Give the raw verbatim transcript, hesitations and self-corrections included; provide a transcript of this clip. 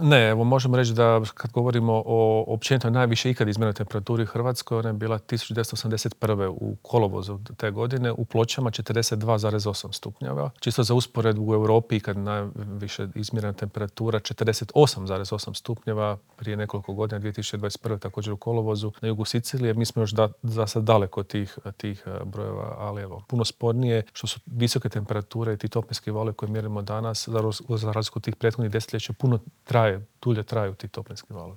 Ne, evo možemo reći da kad govorimo o općenito najviše ikad izmjerenoj temperaturi u Hrvatskoj, ona je bila tisuću devetsto osamdeset prve u kolovozu te godine, u Pločama četrdeset dva zarez osam stupnjeva. Čisto za usporedbu u Europi kad najviše izmjerena temperatura četrdeset osam zarez osam stupnjeva prije nekoliko godina, dvije tisuće dvadeset prve također u kolovozu na jugu Sicilije. Mi smo još da, za sad daleko od tih, tih brojeva, ali evo, puno spornije što su visoke temperature i ti toplinski valovi koje mjerimo danas, za razliku od tih prethodnih desetljeća, puno traje, dulje traju ti toplinski valovi.